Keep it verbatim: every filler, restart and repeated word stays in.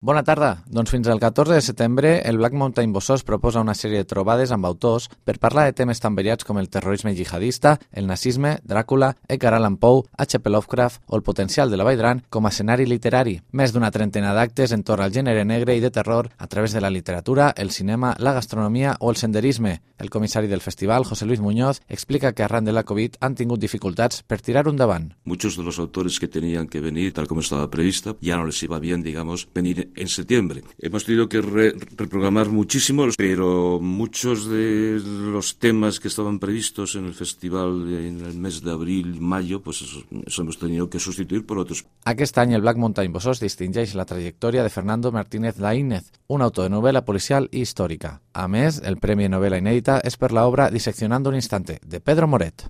Bona tarda. Doncs fins al catorze de setembre el Black Mountain Bossós proposa una sèrie de trobades amb autors per parlar de temes tan variats com el terrorisme jihadista, el nazisme, Dràcula, Edgar Allan Poe, H P Lovecraft o el potencial de la Vall d'Aran com a escenari literari. Més d'una trentena d'actes entorn al gènere negre i de terror a través de la literatura, el cinema, la gastronomia o el senderisme. El comissari del festival, José Luis Muñoz, explica que arran de la Covid han tingut dificultats per tirar un davant. Muchos de los autores que tenían que venir, tal como estaba prevista, ya no les iba bien, digamos, venir en septiembre. Hemos tenido que re reprogramar muchísimo, pero muchos de los temas que estaban previstos en el festival en el mes de abril y mayo, pues eso, eso hemos tenido que sustituir por otros. Aquest any el Black Mountain Bossós distingeix la trajectòria de Fernando Martínez Laínez, un autor de novel·la policial i històrica. A més, el Premi de Novel·la Inèdita és per l'obra Diseccionando un instante, de Pedro Moret.